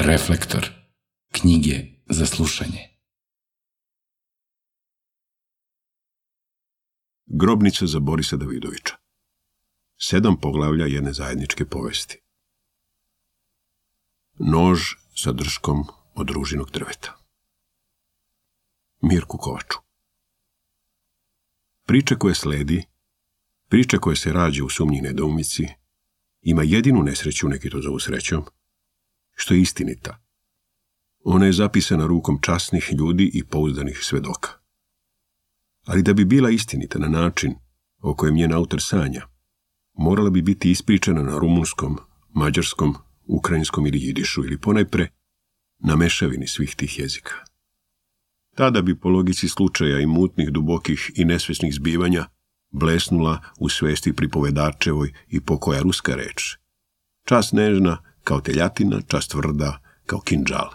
Reflektor. Knjige za slušanje. Grobnica za Borisa Davidovića. 7 poglavlja jedne zajedničke povesti. Nož sa drškom od ružinog drveta. Mirku Kovaču. Priča koja sledi, priča koja se rađa u sumnji nedoumici, ima jedinu nesreću, neki to zovu srećom, što je istinita. Ona je zapisana rukom časnih ljudi i pouzdanih svedoka. Ali da bi bila istinita na način o kojem njen autor sanja, morala bi biti ispričana na rumunskom, mađarskom, ukrajinskom ili jidišu ili ponajpre na mešavini svih tih jezika. Tada bi po logici slučaja i mutnih, dubokih i nesvesnih zbivanja blesnula u svesti pripovedačevoj i pokoja ruska reč. Čas nežna kao teljatina, čas tvrda kao kindžal.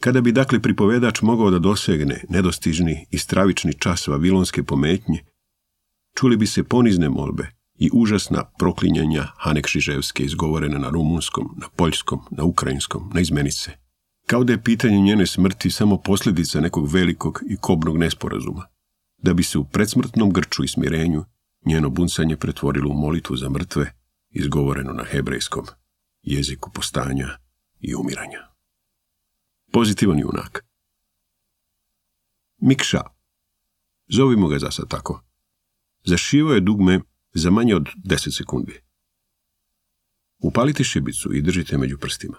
Kada bi dakle pripovedač mogao da dosegne nedostižni i stravični čas vavilonske pometnje, čuli bi se ponizne molbe i užasna proklinjanja Hane Kšiževske izgovorene na rumunskom, na poljskom, na ukrajinskom, na izmenice. Kao da je pitanje njene smrti samo posljedica nekog velikog i kobnog nesporazuma, da bi se u predsmrtnom grču i smirenju njeno buncanje pretvorilo u molitvu za mrtve, izgovoreno na hebrejskom, jeziku postanja i umiranja. Pozitivan junak. Mikša, zovimo ga za sad tako, zašivao je dugme za manje od 10 sekundi. Upalite šibicu i držite među prstima.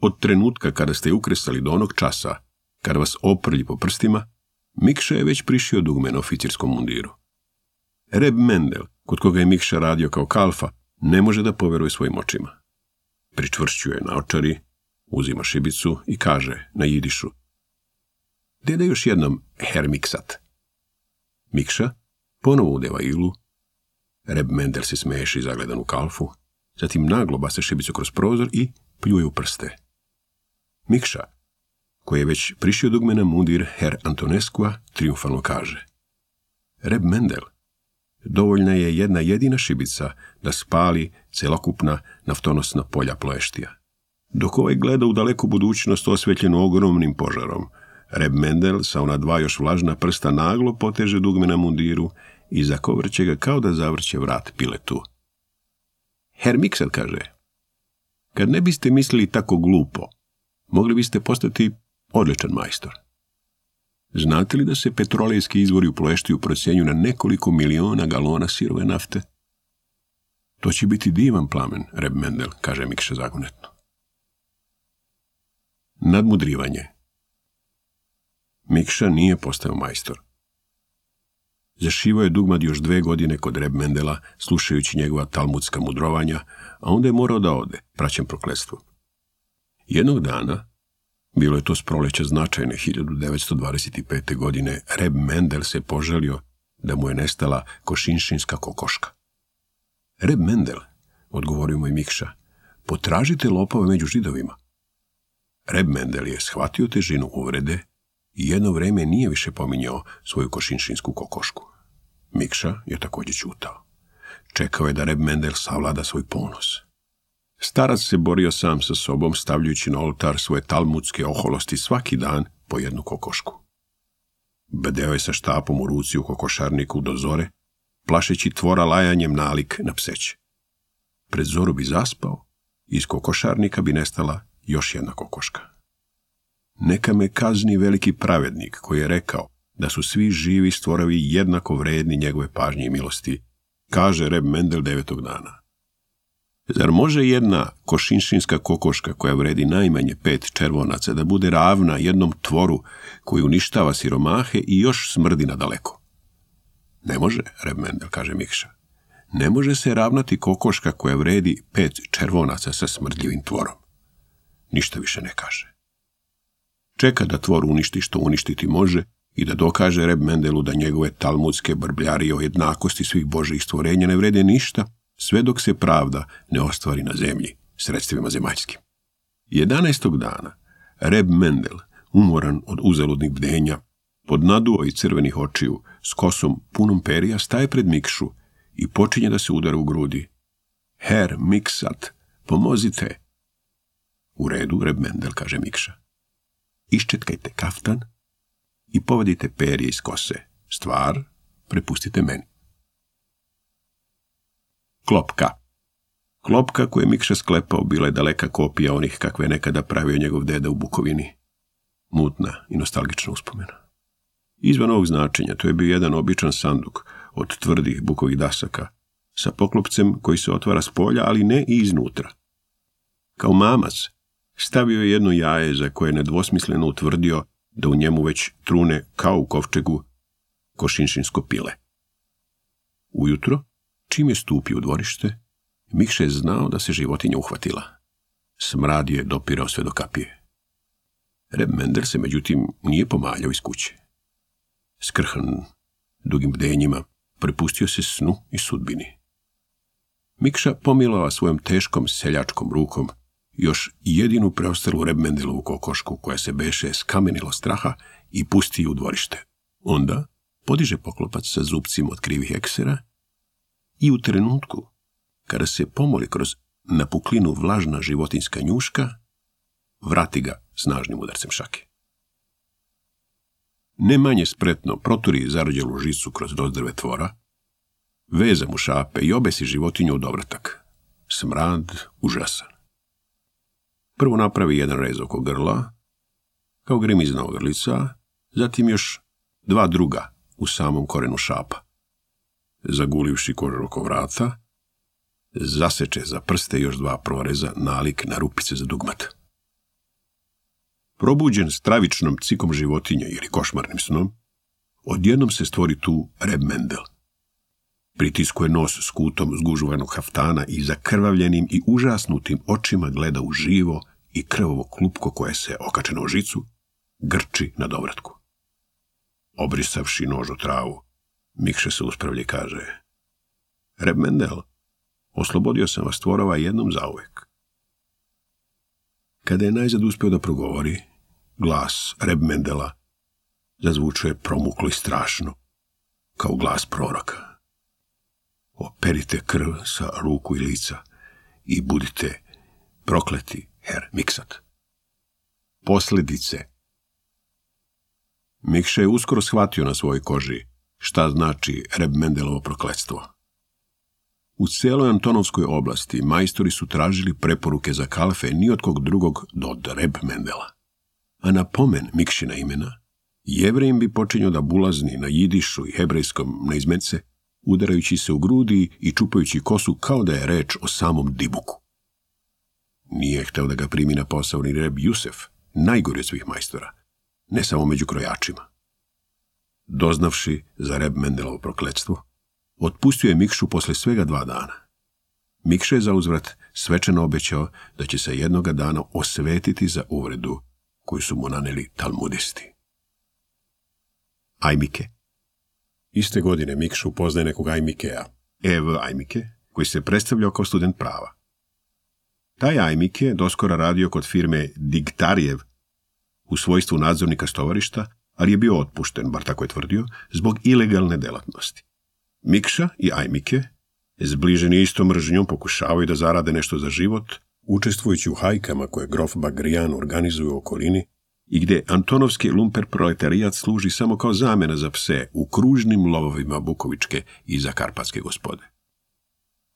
Od trenutka kada ste ukresali do onog časa, kada vas oprlji po prstima, Mikša je već prišio dugme na oficirskom mundiru. Reb Mendel, kod koga je Mikša radio kao kalfa, ne može da poveruje svojim očima. Pričvršćuje naočari, uzima šibicu i kaže na jidišu: "Dede još jednom, Herr Miksat." Mikša ponovo udeva iglu. Reb Mendel se smeši i zagledan u kalfu, zatim naglo baca šibicu kroz prozor i pljuje u prste. Mikša, koji je već prišio dugme na mundir Herr Antoneskua, triumfalno kaže: "Reb Mendel, dovoljna je jedna jedina šibica da spali celokupna naftonosna polja Ploeštija." Dok ovaj gleda u daleku budućnost osvetljenu ogromnim požarom, Reb Mendel sa ona 2 još vlažna prsta naglo poteže dugme na mundiru i zakovrće ga kao da zavrće vrat piletu. Herr Miksat kaže: "Kad ne biste mislili tako glupo, mogli biste postati odličan majstor. Znate li da se petrolejski izvori u Ploeštiju procjenjuju na nekoliko miliona galona sirove nafte?" "To će biti divan plamen, Reb Mendel," kaže Mikša zagonetno. Nadmudrivanje. Mikša nije postao majstor. Zašivao je dugmad još 2 godine kod Reb Mendela, slušajući njegova talmudska mudrovanja, a onda je morao da ode, praćen prokletstvom. Jednog dana, bilo je to s proleća značajne 1925. godine, Reb Mendel se požalio da mu je nestala košinšinska kokoška. "Reb Mendel," odgovorio mu je Mikša, "potražite lopove među Židovima." Reb Mendel je shvatio težinu uvrede i jedno vreme nije više pominjao svoju košinšinsku kokošku. Mikša je također ćutao. Čekao je da Reb Mendel savlada svoj ponos. Starac se borio sam sa sobom, stavljajući na oltar svoje talmudske oholosti svaki dan po jednu kokošku. Bedeo je sa štapom u ruci u kokošarniku do zore, plašeći tvora lajanjem nalik na pseće. Pred zoru bi zaspao i iz kokošarnika bi nestala još jedna kokoška. "Neka me kazni veliki pravednik koji je rekao da su svi živi stvorovi jednako vredni njegove pažnje i milosti," kaže Reb Mendel 9. dana. Zar može jedna košinšinska kokoška koja vredi najmanje 5 červonaca da bude ravna jednom tvoru koji uništava siromahe i još smrdi nadaleko? "Ne može, Reb Mendel," kaže Mikša. "Ne može se ravnati kokoška koja vredi 5 červonaca sa smrdljivim tvorom." Ništa više ne kaže. Čeka da tvor uništi što uništiti može i da dokaže Reb Mendelu da njegove talmudske brbljarije o jednakosti svih božjih stvorenja ne vrede ništa, sve dok se pravda ne ostvari na zemlji sredstvima zemaljskim. 11. dana Reb Mendel, umoran od uzaludnih bdenja, pod naduo i crvenih očiju, s kosom punom perija, staje pred Mikšu i počinje da se udara u grudi. "Herr Miksat, pomozite!" U redu, Reb Mendel, kaže Mikša. Iščetkajte kaftan i povadite perje iz kose. Stvar prepustite meni. Klopka. Klopka koju je Mikša sklepao bila je daleka kopija onih kakve je nekada pravio njegov deda u Bukovini. Mutna i nostalgična uspomena. Izvan ovog značenja to je bio jedan običan sanduk od tvrdih bukovih dasaka sa poklopcem koji se otvara s polja, ali ne i iznutra. Kao mamac stavio je jedno jaje za koje je nedvosmisleno utvrdio da u njemu već trune kao u kovčegu košinšinsko pile. Ujutro, čim je stupio u dvorište, Mikša je znao da se životinja uhvatila. Smrad je dopirao sve do kapije. Reb Mendel se, međutim, nije pomaljao iz kuće. Skrhan, dugim bdenjima, prepustio se snu i sudbini. Mikša pomilova svojom teškom seljačkom rukom još jedinu preostalu Reb Mendelovu kokošku koja se beše skamenilo straha i pusti u dvorište. Onda podiže poklopac sa zupcima od krivih eksera i u trenutku, kada se pomoli kroz napuklinu vlažna životinjska njuška, vrati ga snažnim udarcem šake. Ne manje spretno proturi zarođelu žicu kroz rozdrve tvora, veza mu šape i obesi životinju u dovratak. Smrad užasan. Prvo napravi jedan rez oko grla, kao grimizna ogrlica, zatim još dva druga u samom korenu šapa. Zagulivši kožu oko vrata, zaseče za prste još dva proreza nalik na rupice za dugmat. Probuđen stravičnom cikom životinje ili košmarnim snom, odjednom se stvori tu Reb Mendel. Pritiskuje nos s kutom zgužvanog haftana i zakrvavljenim i užasnutim očima gleda u živo i krvovo klupko koje se, okačeno u žicu, grči na dovratku. Obrisavši nož o travu, Mikša se uspravlja i kaže: Reb Mendel, oslobodio sam vas tvorova jednom zauvek. Kada je najzad uspio da progovori, glas Reb Mendela zazvučuje promuklo i strašno, kao glas proroka. Operite krv sa ruku i lica i budite prokleti, Herr Miksat. Posljedice. Mikša je uskoro shvatio na svojoj koži šta znači Reb Mendelovo prokletstvo. U cijeloj Antonovskoj oblasti majstori su tražili preporuke za kalfe ni od kog drugog do Reb Mendela. A na pomen Mikšina imena, Jevrejim bi počinio da bulazni na jidišu i hebrejskom neizmence, udarajući se u grudi i čupajući kosu kao da je reč o samom Dibuku. Nije hteo da ga primi na posao ni Reb Jusef, najgori od svih majstora, ne samo među krojačima. Doznavši za Reb Mendelovo prokletstvo, otpustio je Mikšu posle svega 2 dana. Mikša je zauzvrat svečano obećao da će se jednoga dana osvetiti za uvredu koju su mu naneli talmudisti. Ajmike. Iste godine Mikša upoznaje nekog Ajmikea, E.V. Ajmike, koji se predstavljao kao student prava. Taj Ajmike doskora radio kod firme Digtarjev u svojstvu nadzornika stovarišta, ali je bio otpušten, bar tako je tvrdio, zbog ilegalne delatnosti. Mikša i Ajmike, zbliženi istom mržnjom, pokušavaju da zarade nešto za život, učestvujući u hajkama koje grof Bagrijan organizuje u okolini i gdje antonovski lumper proletarijat služi samo kao zamjena za pse u kružnim lovovima bukovičke i zakarpatske gospode.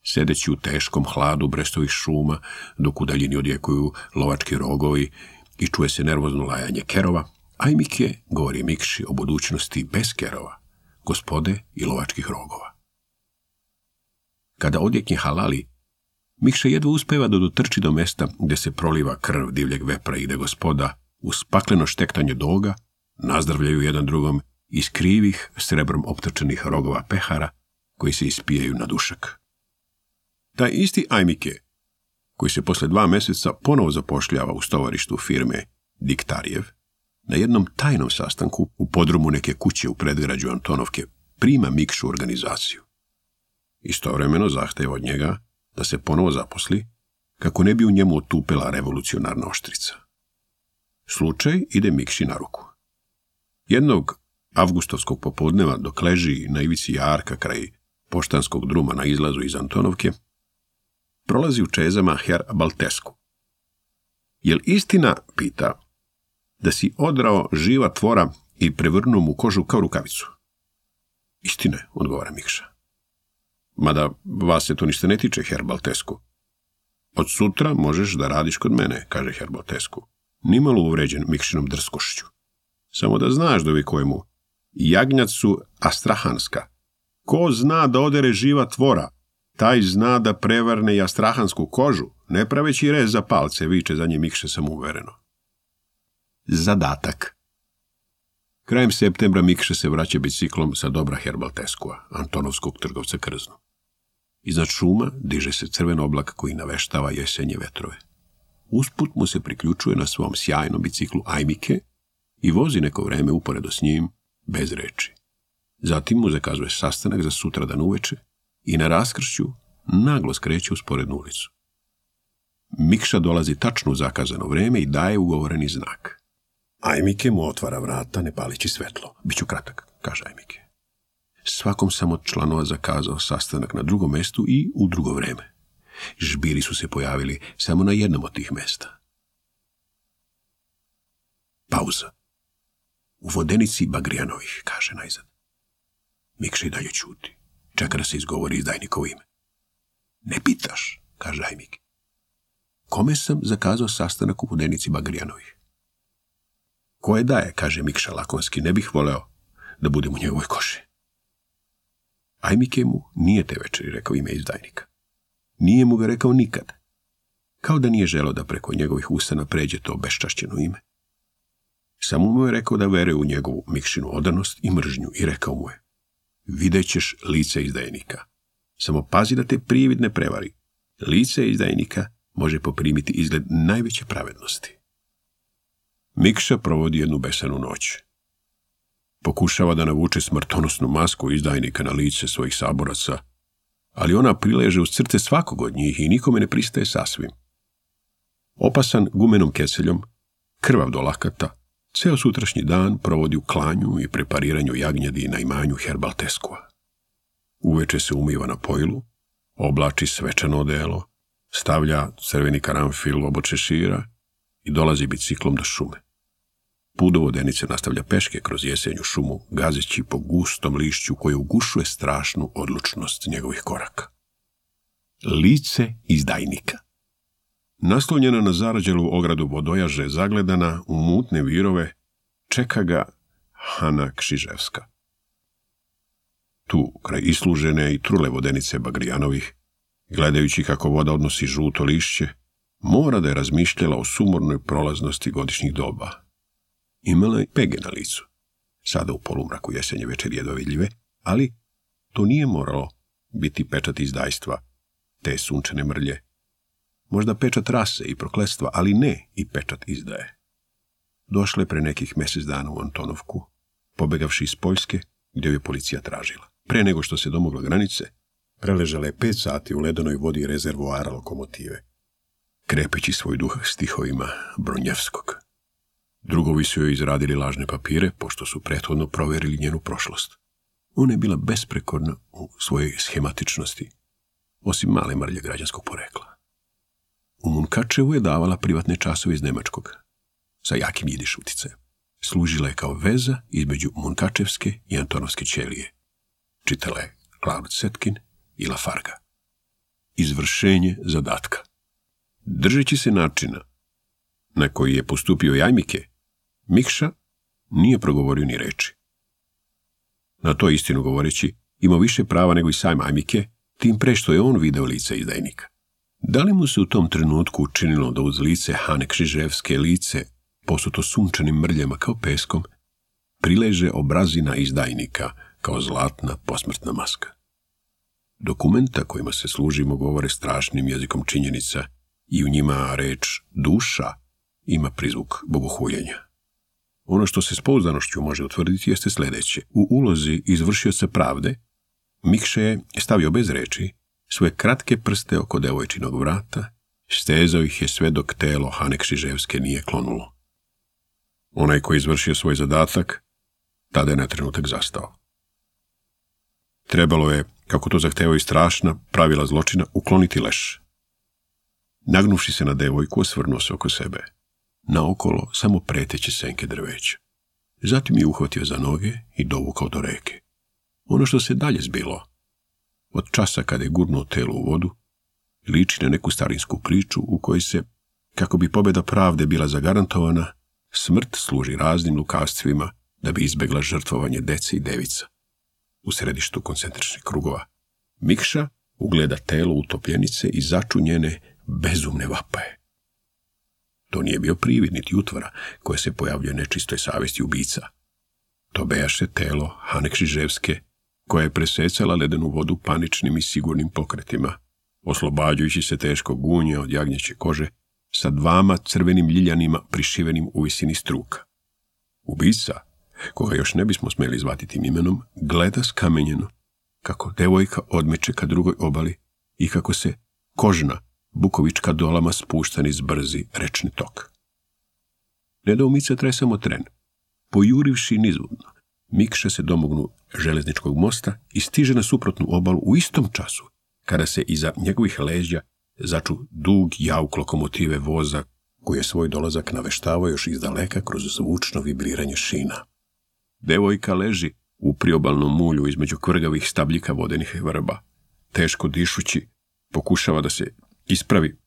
Sedeći u teškom hladu Brestovih šuma, dok u daljini odjekuju lovački rogovi i čuje se nervozno lajanje kerova, Ajmike govori Mikši o budućnosti bez kerova, gospode i lovačkih rogova. Kada odjekne halali, Mikša jedva uspeva da dotrči do mesta gdje se proliva krv divljeg vepra i gdje gospoda, uz pakleno štektanje doga, nazdravljaju jedan drugom iz krivih, srebrom optrčenih rogova pehara koji se ispijaju na dušak. Taj isti Ajmike, koji se posle 2 mjeseca ponovo zapošljava u stovarištu firme Digtarjev, na jednom tajnom sastanku u podrumu neke kuće u predgrađu Antonovke prima Mikšu u organizaciju. Istovremeno zahteva od njega da se ponovo zaposli kako ne bi u njemu otupela revolucionarna oštrica. Slučaj ide Mikši na ruku. Jednog avgustovskog popodneva, dok leži na ivici jarka kraj poštanskog druma na izlazu iz Antonovke, prolazi u čezama Herr Baltesku. Jel istina, pita, da si odrao živa tvora i prevrnuo mu kožu kao rukavicu? Istine, odgovara Mikša. Mada vas se to ništa ne tiče, Herr Baltescu. Od sutra možeš da radiš kod mene, kaže Herr Baltescu, nimalo uvređen Mikšinom drskošću. Samo da znaš, dovikuje mu, jagnjac su astrahanska. Ko zna da odere živa tvora, taj zna da prevrne i astrahansku kožu, ne praveći rez za palce, viče za njim Mikša samouvereno. Zadatak. Krajem septembra Mikša se vraća biciklom sa dobra Herr Baltescua, Antonovskog trgovca krznom. Iznad šuma diže se crven oblak koji naveštava jesenje vetrove. Usput mu se priključuje na svom sjajnom biciklu Ajmike i vozi neko vreme uporedo s njim, bez reči. Zatim mu zakazuje sastanak za sutradan uveče i na raskršću naglo skreće u sporednu ulicu. Mikša dolazi tačno u zakazano vreme i daje ugovoreni znak. Ajmike mu otvara vrata ne palići svetlo. Biću kratak, kaže Ajmike. Svakom sam od članova zakazao sastanak na drugom mestu i u drugo vreme. Žbiri su se pojavili samo na jednom od tih mesta. Pauza. U vodenici Bagrijanovih, kaže najzad. Mikša i dalje ćuti. Čeka da se izgovori izdajnikovo ime. Ne pitaš, kaže Ajmike. Kome sam zakazao sastanak u vodenici Bagrijanovih? Koje daje, kaže Mikša lakonski, ne bih voleo da budem u njegovoj koži. Ajmike mu nije te večeri rekao ime izdajnika. Nije mu ga rekao nikad. Kao da nije želeo da preko njegovih usana pređe to beščašćeno ime. Samo mu je rekao da veruje u njegovu Mikšinu odanost i mržnju i rekao mu je: vidjet ćeš lice izdajnika. Samo pazi da te privid ne prevari. Lice izdajnika može poprimiti izgled najveće pravednosti. Mikša provodi jednu besanu noć. Pokušava da navuče smrtonosnu masku izdajnika na lice svojih saboraca, ali ona prileže uz crte svakog od njih i nikome ne pristaje sasvim. Opasan gumenom keseljom, krvav do lakata, ceo sutrašnji dan provodi u klanju i prepariranju jagnjadi na imanju Herr Baltescua. Uveče se umiva na pojilu, oblači svečano odelo, stavlja crveni karanfil obod šešira i dolazi biciklom do šume. Put do vodenice nastavlja peške kroz jesenju šumu, gazeći po gustom lišću koje ugušuje strašnu odlučnost njegovih koraka. Lice izdajnika. Naslonjena na zarađelu ogradu vodojaže, zagledana u mutne virove, čeka ga Hana Kšiževska. Tu, kraj islužene i trule vodenice Bagrijanovih, gledajući kako voda odnosi žuto lišće, mora da je razmišljala o sumornoj prolaznosti godišnjih doba. Imala je pege na licu. Sada u polumraku jesenje večeri jedva vidljive, ali to nije moralo biti pečat izdajstva, te sunčane mrlje. Možda pečat rase i prokletstva, ali ne i pečat izdaje. Došla je pre nekih mjesec dana u Antonovku, pobegavši iz Poljske, gdje je policija tražila. Pre nego što se domogla granice, preležala je 5 sati u ledenoj vodi rezervoara lokomotive, krepeći svoj duh stihovima Bronjevskog. Drugovi su joj izradili lažne papire, pošto su prethodno provjerili njenu prošlost. Ona je bila besprekorna u svojoj schematičnosti, osim male mrlje građanskog porekla. U Munkačevu je davala privatne časove iz nemačkog, sa jakim jidiš uticajem. Služila je kao veza između Munkačevske i Antonovske ćelije. Čitala je Claude Setkin i Lafarga. Izvršenje zadatka. Držeći se načina na koji je postupio Ajmike, Mikša nije progovorio ni reči. Na to istinu govoreći, imao više prava nego i sam Ajmike, tim pre što je on video lice izdajnika. Da li mu se u tom trenutku učinilo da uz lice Hane Kšiževske lice, posuto sunčanim mrljama kao peskom, prileže obrazina izdajnika kao zlatna posmrtna maska? Dokumenta kojima se služimo govore strašnim jezikom činjenica i u njima reč duša ima prizvuk bogohuljenja. Ono što se s pouzdanošću može utvrditi jeste sljedeće. U ulozi izvršioca pravde, Mikša je stavio bez reči svoje kratke prste oko devojčinog vrata, stezao ih je sve dok telo Hane Kšiževske nije klonulo. Onaj koji je izvršio svoj zadatak, tada je na trenutak zastao. Trebalo je, kako to zahtevaju strašna pravila zločina, ukloniti leš. Nagnuvši se na devojku, osvrnuo se oko sebe. naokolo samo preteće senke drveća. Zatim je uhvatio za noge i dovukao do reke. Ono što se dalje zbilo, od časa kada je gurnuo telo u vodu, liči na neku starinsku priču u kojoj se, kako bi pobjeda pravde bila zagarantovana, smrt služi raznim lukavstvima da bi izbegla žrtvovanje dece i devica. U središtu koncentričnih krugova Mikša ugleda telo utopljenice i začu njene bezumne vapaje. To nije bio privid niti utvara koja se pojavljuje nečistoj savjesti ubica. To bejaše telo Hane Križevske, koja je presecala ledenu vodu paničnim i sigurnim pokretima, oslobađajući se teškog gunja od jagnjeće kože sa 2 crvenim ljiljanima prišivenim u visini struka. Ubica, koga još ne bismo smjeli zvati tim imenom, gleda skamenjeno kako devojka odmeče ka drugoj obali i kako se kožna bukovička dolama spušta niz brzi rečni tok. Nedoumica traje samo tren. Pojurivši nizvodno, Mikša se domognu železničkog mosta i stiže na suprotnu obalu u istom času, kada se iza njegovih leđa začu dug jauk lokomotive voza koji je svoj dolazak naveštavao još izdaleka kroz zvučno vibriranje šina. Devojka leži u priobalnom mulju između kvrgavih stabljika vodenih vrba. Teško dišući, pokušava da se ispravi,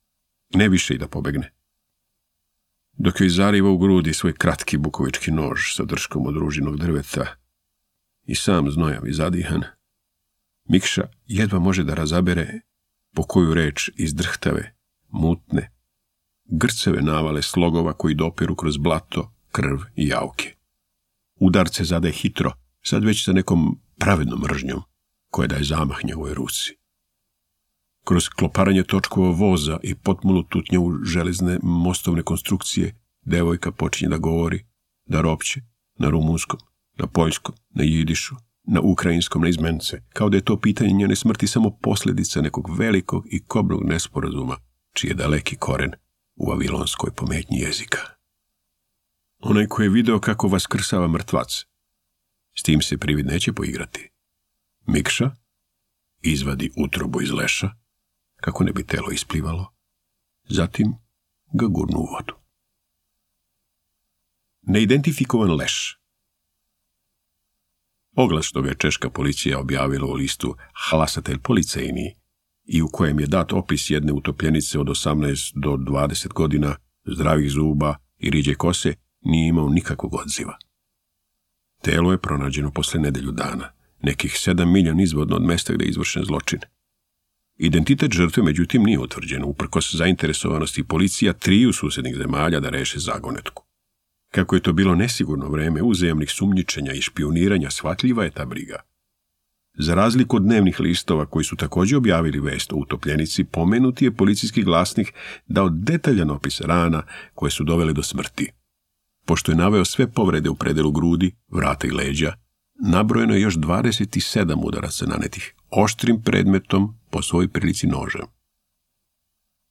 ne više i da pobegne. Dok joj zariva u grudi svoj kratki bukovički nož sa drškom od ružinog drveta i sam znojav i zadihan, Mikša jedva može da razabere po koju reč iz drhtave, mutne, grceve navale slogova koji dopiru kroz blato, krv i jauke. Udarce zadaje hitro, sad već sa nekom pravednom mržnjom, koja daje zamah njegovoj ruci. Kroz kloparanje točkova voza i potmulu tutnjavu železne mostovne konstrukcije, devojka počinje da govori, da ropće, na rumunskom, na poljskom, na jidišu, na ukrajinskom, na izmence, kao da je to pitanje njene smrti samo posljedica nekog velikog i kobnog nesporazuma, čiji je daleki koren u vavilonskoj pometnji jezika. Onaj koji je video kako vaskrsava mrtvac, s tim se privid neće poigrati. Mikša izvadi utrobu iz leša, kako ne bi telo isplivalo, zatim ga gurnu u vodu. Neidentifikovan leš. Oglas što ga je češka policija objavila u listu Hlasatelj policejni i u kojem je dat opis jedne utopljenice od 18 do 20 godina, zdravih zuba i riđe kose, nije imao nikakvog odziva. Telo je pronađeno posle nedelju dana, nekih 7 milja nizvodno od mesta gdje je izvršen zločin. Identitet žrtve, međutim, nije utvrđen, uprkos zainteresovanosti policija 3 susjednih zemalja da reše zagonetku. Kako je to bilo nesigurno vreme uzajamnih sumnjičenja i špioniranja, shvatljiva je ta briga. Za razliku od dnevnih listova koji su također objavili vest o utopljenici, pomenuti je policijski glasnik dao detaljan opis rana koje su dovele do smrti. Pošto je naveo sve povrede u predelu grudi, vrata i leđa, nabrojeno je još 27 udaraca nanetih oštrim predmetom po svojoj prilici nožem.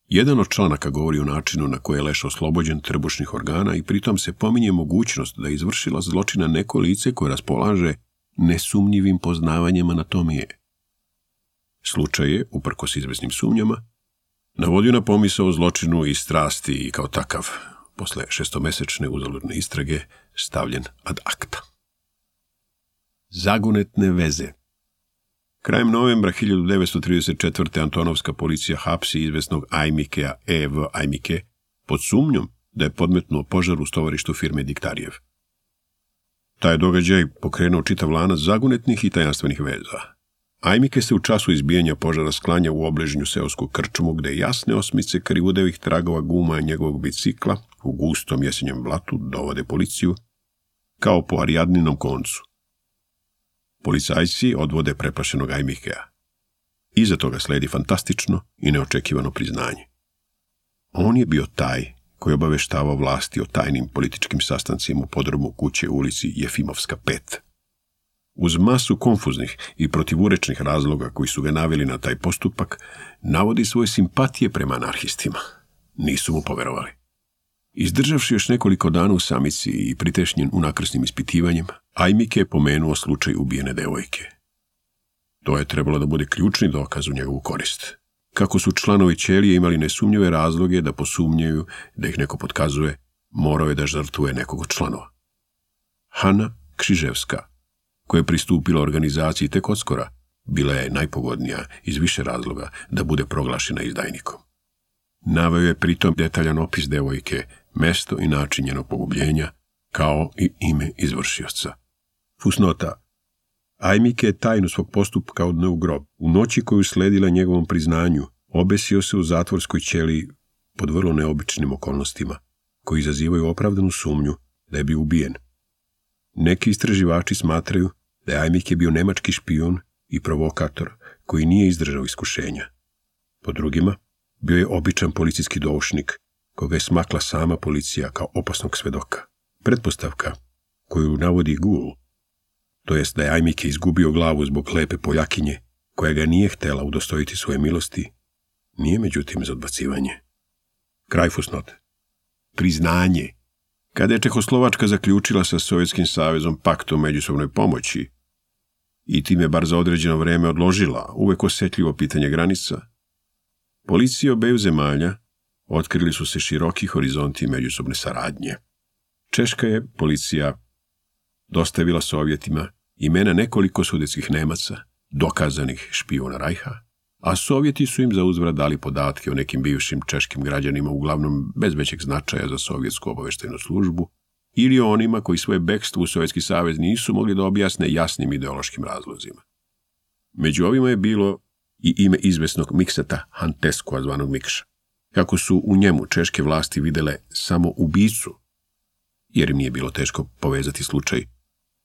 Jedan od članaka govori o načinu na koji je leš oslobođen trbušnih organa i pritom se pominje mogućnost da je izvršila zločina neko lice koje raspolaže nesumnjivim poznavanjem anatomije. Slučaj je, uprkos izvesnim sumnjama, navodio na pomisao o zločinu i strasti i kao takav, posle 6-mesečne uzaludne istrage, stavljen ad acta. Zagonetne veze. Krajem novembra 1934. Antonovska policija hapsi izvesnog Ajmikea E.V. Ajmike pod sumnjom da je podmetnuo požar u stovarištu firme Diktarjev. Taj događaj pokrenuo čitav lanac zagonetnih i tajanstvenih veza. Ajmike se u času izbijanja požara sklanja u obližnju seosku krčmu gde jasne osmice krivudevih tragova guma njegovog bicikla u gustom jesenjem blatu dovode policiju kao po Arijadninom koncu. Policajci odvode preplašenog Ajmikea. Iza toga sledi fantastično i neočekivano priznanje. On je bio taj koji obaveštavao vlasti o tajnim političkim sastancima u podrumu kuće u ulici Jefimovska 5. Uz masu konfuznih i protivurečnih razloga koji su ga naveli na taj postupak, navodi svoje simpatije prema anarhistima. Nisu mu poverovali. Izdržavši još nekoliko dana u samici i pritešnjen unakrsnim ispitivanjem, Ajmike je pomenuo slučaj ubijene devojke. To je trebalo da bude ključni dokaz u njegovu korist. Kako su članovi ćelije imali nesumnjive razloge da posumnjaju da ih neko potkazuje, morao je da žrtvuje nekog od članova. Hana Kšiževska, koja je pristupila organizaciji tek odskora, bila je najpogodnija iz više razloga da bude proglašena izdajnikom. Naveo je pritom detaljan opis devojke, mesto i način njenog pogubljenja, kao i ime izvršioca. Fusnota. Ajmike je tajnu svog postupka odneo u grob. U noći koju sledila njegovom priznanju, obesio se u zatvorskoj ćeliji pod vrlo neobičnim okolnostima, koji izazivaju opravdanu sumnju da je bio ubijen. Neki istraživači smatraju da je Ajmike bio nemački špijun i provokator koji nije izdržao iskušenja. Po drugima, bio je običan policijski doušnik, koga je smakla sama policija kao opasnog svedoka. Pretpostavka koju navodi Gul, to jest da je Ajmike izgubio glavu zbog lepe Poljakinje, koja ga nije htela udostojiti svoje milosti, nije međutim za odbacivanje. Kraj fusnote. Priznanje. Kada je Čehoslovačka zaključila sa Sovjetskim savezom pakt o međusobnoj pomoći i time bar za određeno vreme odložila uvek osjetljivo pitanje granica, policije obeju zemalja otkrili su se široki horizonti međusobne saradnje. Češka je policija dostavila Sovjetima imena nekoliko sudetskih Nemaca, dokazanih špijuna Rajha, a Sovjeti su im za uzvrat dali podatke o nekim bivšim češkim građanima, uglavnom bez većeg značaja za sovjetsku obaveštajnu službu, ili o onima koji svoje bekstvo u Sovjetski savez nisu mogli da objasne jasnim ideološkim razlozima. Među ovima je bilo i ime izvesnog Mikseta Hanteskoa, zvanog Mikša. Kako su u njemu češke vlasti videle samo ubicu, jer im nije bilo teško povezati slučaj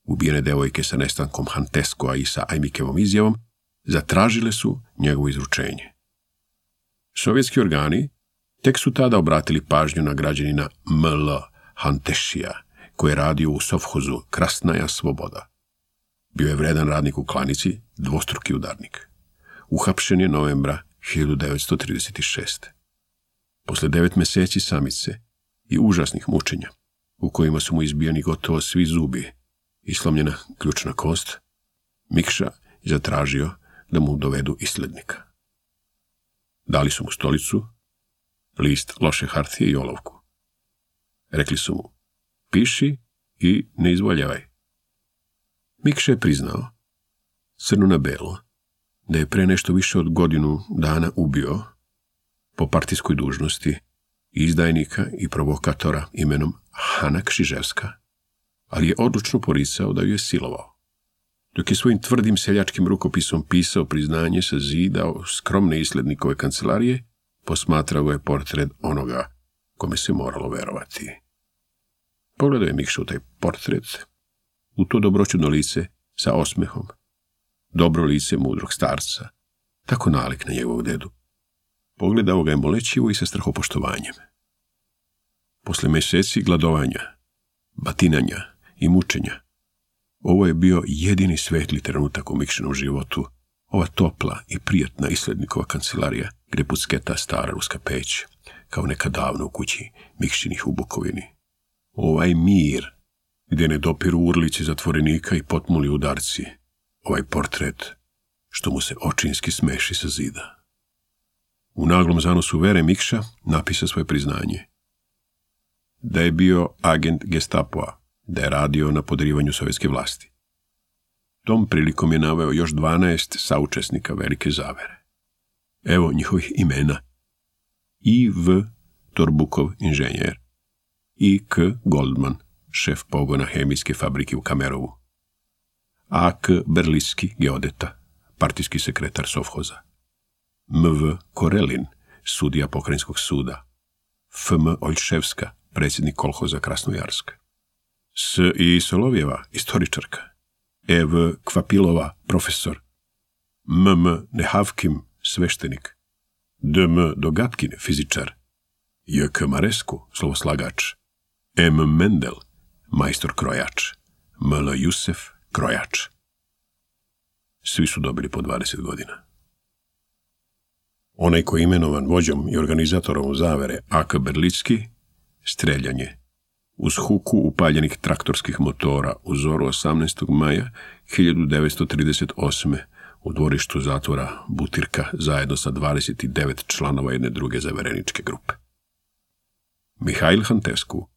ubijene devojke sa nestankom Hanteskoa i sa Ajmikevom izjavom, zatražile su njegovo izručenje. Sovjetski organi tek su tada obratili pažnju na građanina M.L. Hantešija, koji je radio u sovhozu Krasnaja Svoboda. Bio je vredan radnik u klanici, dvostruki udarnik. Uhapšen je novembra 1936. Posle 9 meseci samice i užasnih mučenja, u kojima su mu izbijani gotovo svi zubi i slomljena ključna kost, Mikša je zatražio da mu dovedu islednika. Dali su mu stolicu, list loše hartije i olovku. Rekli su mu, piši i ne izvoljavaj. Mikša je priznao, crno na belo, da je pre nešto više od godinu dana ubio, po partijskoj dužnosti, izdajnika i provokatora imenom Hana Kšiževska, ali je odlučno poricao da ju je silovao. Dok je svojim tvrdim seljačkim rukopisom pisao priznanje sa zida skromne islednikove kancelarije, posmatrao ga je portret onoga kome se moralo verovati. Pogledao je Mikša u taj portret, u to dobroćudno lice sa osmehom, dobro lice mudrog starca, tako nalik na njegovog dedu. Pogledao ga je molećivo i sa strahopoštovanjem. Posle meseci gladovanja, batinanja i mučenja, ovo je bio jedini svetli trenutak u Mikšinom životu, ova topla i prijatna islednikova kancelarija gde pucketa stara ruska peć, kao neka davno u kući Mikšinih u Bukovini. Ovaj mir, gde ne dopiru urlici zatvorenika i potmuli udarci, ovaj portret, što mu se očinski smeši sa zida. U naglom zanosu vere Mikša napisao svoje priznanje. Da je bio agent Gestapoa, da je radio na podrivanju sovjetske vlasti. Tom prilikom je naveo još 12 saučesnika velike zavere. Evo njihovih imena. I.V. Torbukov, inženjer. I.K. Goldman, šef pogona hemijske fabrike u Kamerovu. A.K. Berliski, geodeta, partijski sekretar sovhoza. M.V. Korelin, sudija pokrajinskog suda. F.M. Oljševska, predsjednik kolhoza Krasnojarsk. S.I. Solovjeva, istoričarka. E.V. Kvapilova, profesor. M.M. Nehavkim, sveštenik. D.M. Dogatkin, fizičar. J.K. Maresku, slovoslagač. M. Mendel, majstor krojač. M.L. Jusef, krojač. Svi su dobili po 20 godina. Onaj koji je imenovan vođom i organizatorom zavere A.K. Berlicki, streljanje uz huku upaljenih traktorskih motora u zoru 18. maja 1938. u dvorištu zatvora Butirka zajedno sa 29 članova jedne druge zavereničke grupe. Mihail Hantescu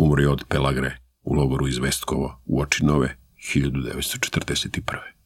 Umro je od pelagre u logoru iz Vestkovo u oči nove 1941.